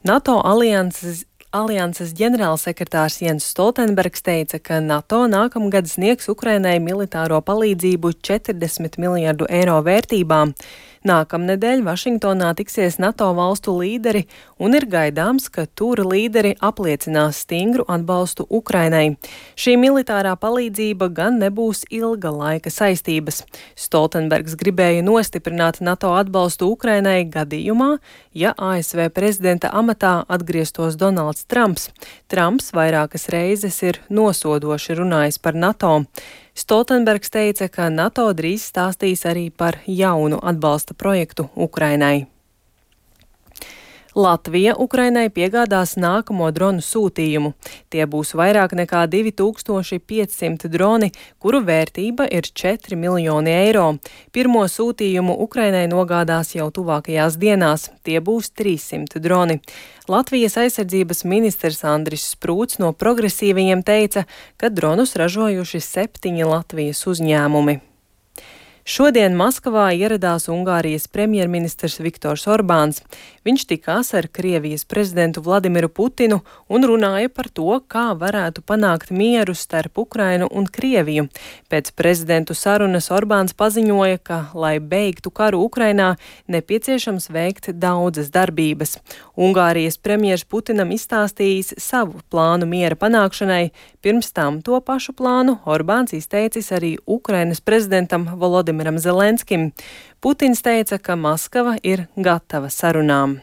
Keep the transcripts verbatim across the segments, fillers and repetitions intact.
NATO alianses Alianses ģenerālsekretārs Jens Stoltenbergs teica, ka NATO nākamgad sniegs Ukrainai militāro palīdzību četrdesmit miljardu eiro vērtībā. Nākamnedēļ Vašingtonā tiksies NATO valstu līderi un ir gaidāms, ka tur līderi apliecinās stingru atbalstu Ukrainai. Šī militārā palīdzība gan nebūs ilga laika saistības. Stoltenbergs gribēja nostiprināt NATO atbalstu Ukrainai gadījumā, ja A S V prezidenta amatā atgrieztos Donalds Trumps. Trumps vairākas reizes ir nosodoši runājis par NATO. Stoltenbergs teica, ka NATO drīz stāstīs arī par jaunu atbalsta projektu Ukrainai. Latvija Ukrainai piegādās nākamo dronu sūtījumu. Tie būs vairāk nekā divi tūkstoši piecsimti droni, kuru vērtība ir četri miljoni eiro. Pirmo sūtījumu Ukrainai nogādās jau tuvākajās dienās. Tie būs trīssimt droni. Latvijas aizsardzības ministrs Andris Sprūts no progresīvajiem teica, ka dronus ražojuši septiņi Latvijas uzņēmumi. Šodien Maskavā ieradās Ungārijas premjerministrs Viktors Orbāns. Viņš tikās ar Krievijas prezidentu Vladimiru Putinu un runāja par to, kā varētu panākt mieru starp Ukrainu un Krieviju. Pēc prezidentu sarunas Orbāns paziņoja, ka, lai beigtu karu Ukrainā, nepieciešams veikt daudzas darbības. Ungārijas premjers Putinam izstāstījis savu plānu miera panākšanai. Pirms tam to pašu plānu Orbāns izteicis arī Ukrainas prezidentam Volodimiram Zelenskim. Putins teica, ka Maskava ir gatava sarunām.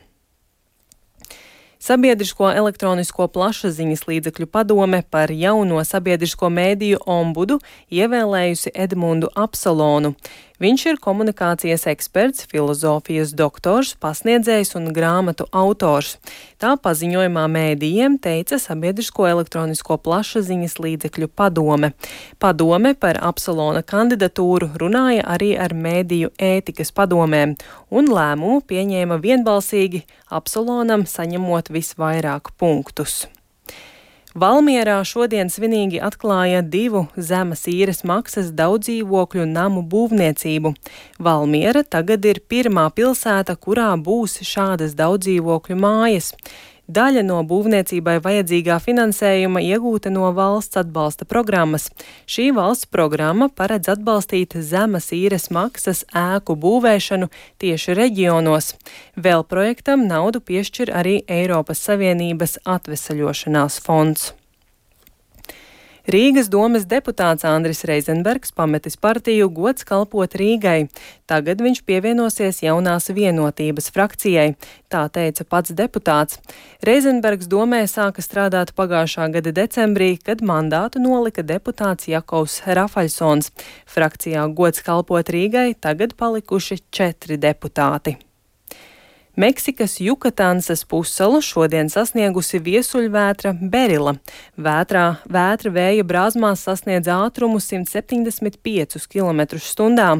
Sabiedrisko elektronisko plašsaziņas līdzekļu padome par jauno sabiedrisko mēdīju ombudu ievēlējusi Edmundu Apsolonu. Viņš ir komunikācijas eksperts, filozofijas doktors, pasniedzējs un grāmatu autors. Tā paziņojumā mēdījiem teica Sabiedrisko elektronisko plašsaziņas līdzekļu padome. Padome par Apsolona kandidatūru runāja arī ar mēdīju ētikas padomēm, un lēmumu pieņēma vienbalsīgi, Apsolonam saņemot visvairāk punktus. Valmierā šodien svinīgi atklāja divu zemes īres maksas daudzdzīvokļu namu būvniecību. Valmiera tagad ir pirmā pilsēta, kurā būs šādas daudzdzīvokļu mājas. Daļa no būvniecībai vajadzīgā finansējuma iegūta no valsts atbalsta programmas. Šī valsts programma paredz atbalstīt zemes īres maksas ēku būvēšanu tieši reģionos. Vēl projektam naudu piešķir arī Eiropas Savienības atvesaļošanās fonds. Rīgas domes deputāts Andris Reizenbergs pametis partiju Gods kalpot Rīgai. Tagad viņš pievienosies jaunās vienotības frakcijai, tā teica pats deputāts. Reizenbergs domē sāka strādāt pagājušā gada decembrī, kad mandātu nolika deputāts Jakovs Rafaļsons. Frakcijā Gods kalpot Rīgai tagad palikuši četri deputāti. Meksikas Jukatansas pussalu šodien sasniegusi viesuļvētra Berila. Vētrā, vētra vēja brāzmās sasniedz ātrumu simt septiņdesmit piecus kilometrus stundā.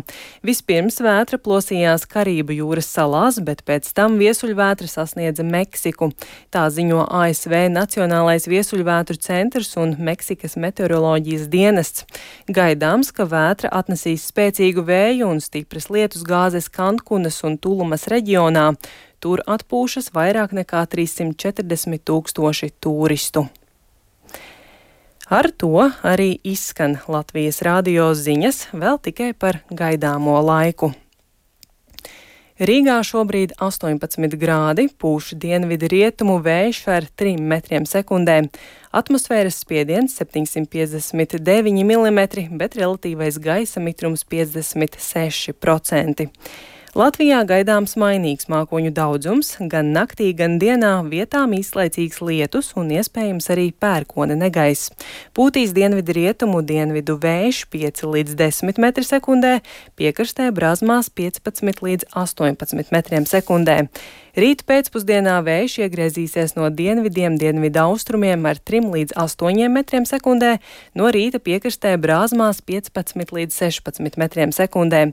Vispirms vētra plosījās Karību jūras salās, bet pēc tam viesuļvētra sasniedza Meksiku. Tā ziņo A S V Nacionālais viesuļvētru centrs un Meksikas meteoroloģijas dienests. Gaidāms, ka vētra atnesīs spēcīgu vēju un stipras lietusgāzes Kankunas un Tulumas reģionā. Tur atpūšas vairāk nekā trīssimt četrdesmit tūkstoši turistu. Ar to arī izskan Latvijas radio ziņas, vēl tikai par gaidāmo laiku. Rīgā šobrīd astoņpadsmit grādi, pūš dienvidu rietumu vējš ar trim metriem sekundē. Atmosfēras spiediens septiņsimt piecdesmit deviņi milimetri, bet relatīvais gaisa mitrums piecdesmit seši procenti. Latvijā gaidāms mainīgs mākoņu daudzums, gan naktī, gan dienā vietām īslaicīgs lietus un iespējams arī pērkona negaiss. Pūtīs dienvidu rietumu dienvidu vējš pieci līdz desmit metri sekundē, piekrastē brāzmās piecpadsmit līdz astoņpadsmit metriem sekundē. Rīt pēcpusdienā vējš iegriezīsies no dienvidiem dienvidu austrumiem ar trim līdz astoņiem metriem sekundē, no rīta piekrastē brāzmās piecpadsmit līdz sešpadsmit metriem sekundē.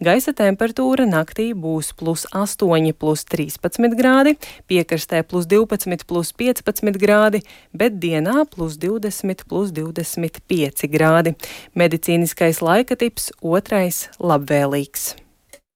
Gaisa temperatūra naktī būs plus astoņi, plus trīspadsmit grādi, piekrastē plus divpadsmit, plus piecpadsmit grādi, bet dienā plus divdesmit, plus divdesmit pieci grādi. Medicīniskais laika tips otrais labvēlīgs.